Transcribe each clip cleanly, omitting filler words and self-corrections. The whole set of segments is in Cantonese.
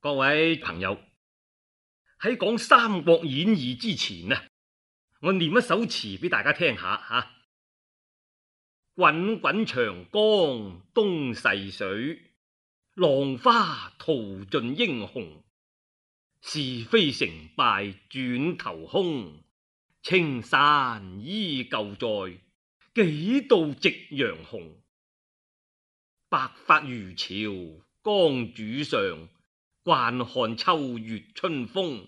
各位朋友，喺講《三國演義》之前啊，我念一首詞俾大家聽下吓。滾滾長江東逝水，浪花淘盡英雄。是非成敗轉頭空，青山依舊在，幾度夕陽紅。白髮漁樵江渚上，慣看秋月春風。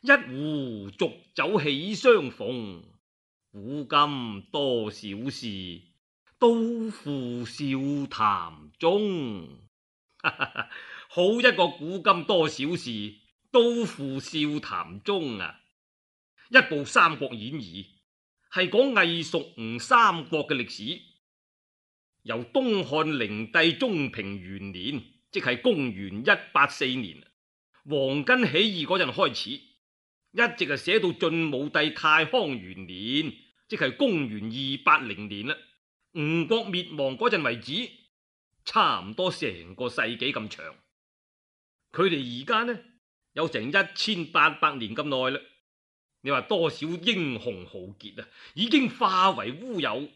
一壺濁酒喜相逢，古今多少事，都付笑談中。好一個古今多少事，都付笑談中啊！一部《三國演義》係講魏蜀吳三國嘅歷史，由東漢靈帝中平元年，即係公元184年，黃巾起義嗰陣開始，一直係寫到晉武帝太康元年，即係公元280年啦，吳國滅亡嗰陣為止，差唔多成個世紀咁長。佢哋而家呢有成1800年咁耐啦。你話多少英雄豪傑啊，已經化為烏有，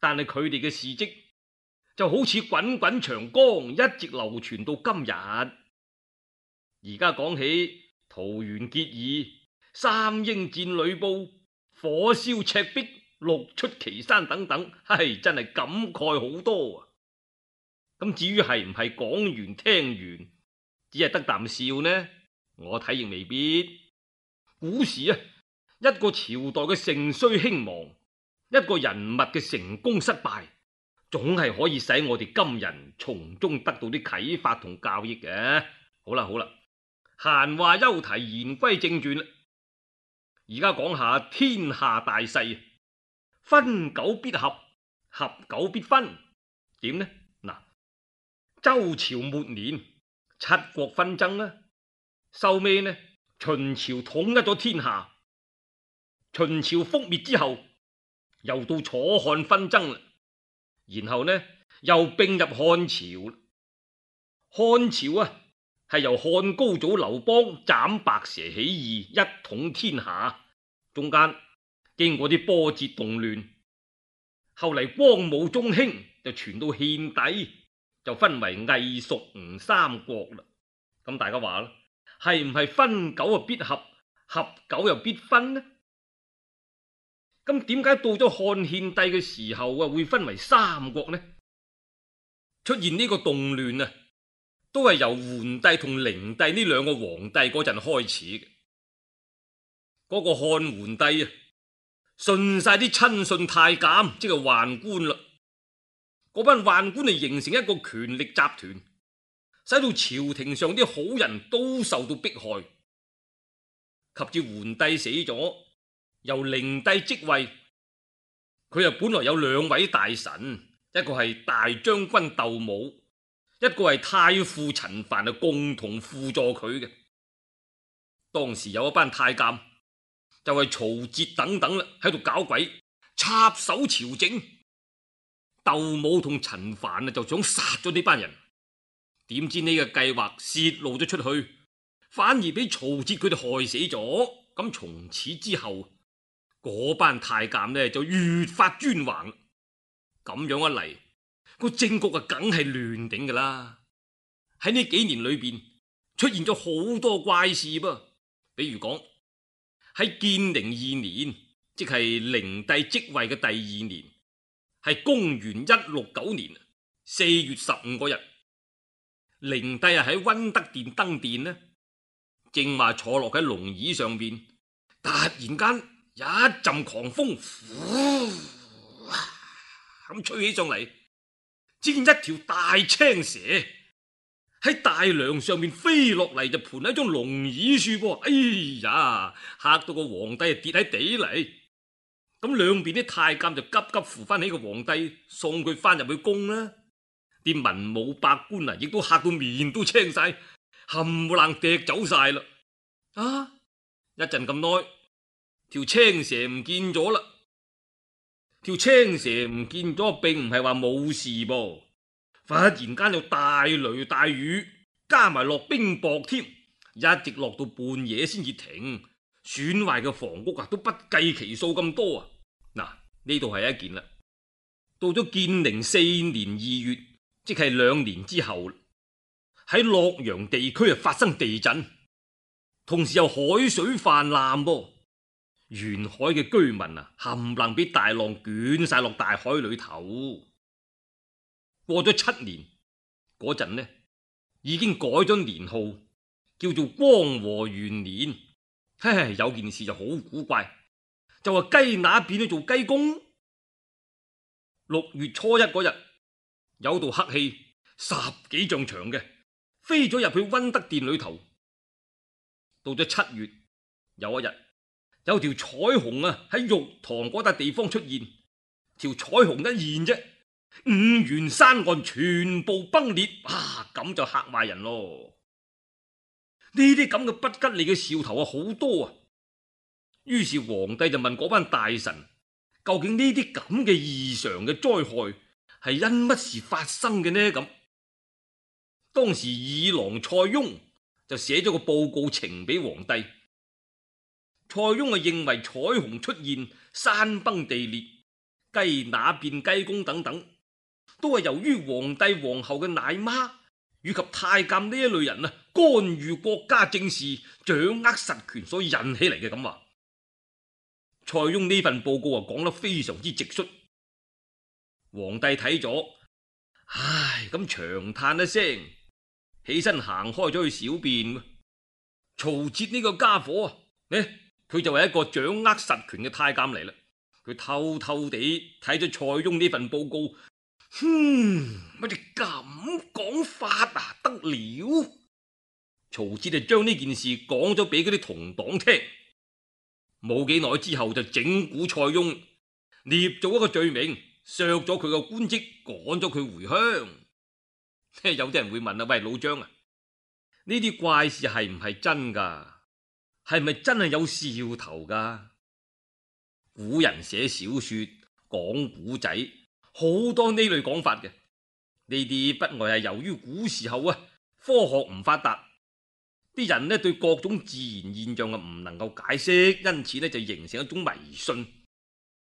但係佢哋嘅事跡就好似滾滾長江，一直流傳到今日。而家講起桃園結義、三英戰呂布、火燒赤壁、六出祁山等等，真係感慨好多啊！咁至於係唔係講完聽完只係得啖笑呢？我睇亦未必。古時啊，一個朝代嘅盛衰興亡，一個人物嘅成功失敗，總係可以使我哋今人從中得到啲啟發同教益嘅。好啦，閒話休提，言歸正傳啦。而家講下天下大勢，分久必合，合久必分。點呢？嗱，周朝末年七國紛爭啦，收尾呢，秦朝統一咗天下。秦朝覆滅之後，又到楚漢紛爭啦，然後呢又併入漢朝。漢朝啊，係由漢高祖劉邦斬白蛇起義，一統天下，中間經過啲波折動亂，後嚟光武中興就傳到獻帝，就分為魏蜀吳三國啦。咁大家話啦，係唔係分久啊必合，合久又必分呢？咁點解到咗漢獻帝嘅時候啊，會分為三國呢？出現呢個動亂啊，都係由桓帝同靈帝呢兩個皇帝嗰陣開始嘅。嗰個漢桓帝啊，順晒啲親信太監，即係宦官啦。嗰班宦官嚟形成一個權力集團，使到朝廷上啲好人都受到迫害。及至桓帝死咗，由靈帝即位。佢又本來有兩位大臣，一個係大將軍竇武，一個係太傅陳蕃，共同輔助佢嘅。當時有一班太監就係曹節等等啦，喺度搞鬼，插手朝政。竇武同陳蕃就想殺咗呢班人，點知呢個計劃泄露咗出去，反而俾曹節佢哋害死咗。咁從此之後，嗰班太監呢就越發專橫。咁樣一嚟，個政局啊梗係亂頂噶啦。喺呢幾年裏邊出現咗好多怪事噃，比如講喺建寧2年，即係靈帝即位嘅第2年，係公元169年4月15嗰日，靈帝啊喺溫德殿登殿呢，正話坐落喺龍椅上邊，突然間一陣狂風，咁吹起上嚟，只見一條大青蛇喺大梁上面飛落嚟，就盤喺張龍椅樹噃。哎呀，嚇到個皇帝跌喺地嚟。咁兩邊啲太監就急急扶翻起個皇帝，送佢翻入去宮啦。啲文武百官啊，亦都嚇到面都青晒，冚唪唥趯走晒啦。一陣咁耐，條青蛇唔見咗啦。條青蛇唔見咗，並唔係話冇事噃。忽然間有大雷大雨，加埋落冰雹添，一直落到半夜先至停，損壞嘅房屋都不計其數咁多啊！嗱，呢度係一件啦。到咗建寧4年2月，即係2年之後，喺洛陽地區發生地震，同時又海水泛濫噃，沿海嘅居民冚唪唥俾大浪捲晒落大海裏頭。過咗7年嗰陣呢，已經改咗年號，叫做光和元年。嘿，有件事就好古怪，就話雞乸變咗做雞公。6月初1嗰日，有道黑氣10幾丈長嘅，飛咗入去溫德殿裏頭。到咗7月，有一日，有條彩虹喺玉堂嗰笪地方出現，條彩虹一現啫，5原山岸全部崩裂，咁就嚇壞人咯。呢啲咁嘅不吉利嘅兆頭好多啊。於是皇帝就問嗰班大臣，究竟呢啲咁嘅異常嘅災害係因乜事發生嘅呢？咁當時二郎蔡邕就寫咗個報告呈俾皇帝。蔡邕認為彩虹出現、山崩地裂、雞乸變雞公等等，都係由於皇帝皇后嘅奶媽以及太監呢一類人干預國家政事、掌握實權所引起嚟嘅。咁話蔡邕呢份報告講得非常之直率。皇帝睇咗，咁長嘆一聲，起身行開咗去小便。曹節呢個家伙佢就係一個掌握實權嘅太監嚟啦。佢偷偷地睇咗蔡邕呢份報告，乜你咁講法得了？曹節就將呢件事講咗俾嗰啲同黨聽。冇幾耐之後就整蠱蔡邕，捏咗一個罪名，削咗佢個官職，趕咗佢回鄉。有啲人會問喂，老張呢啲怪事係唔係真噶？係咪真係有兆頭噶？古人寫小說講古仔，好多呢類講法嘅。呢啲不外係由於古時候科學唔發達，啲人對各種自然現象唔能夠解釋，因此就形成一種迷信。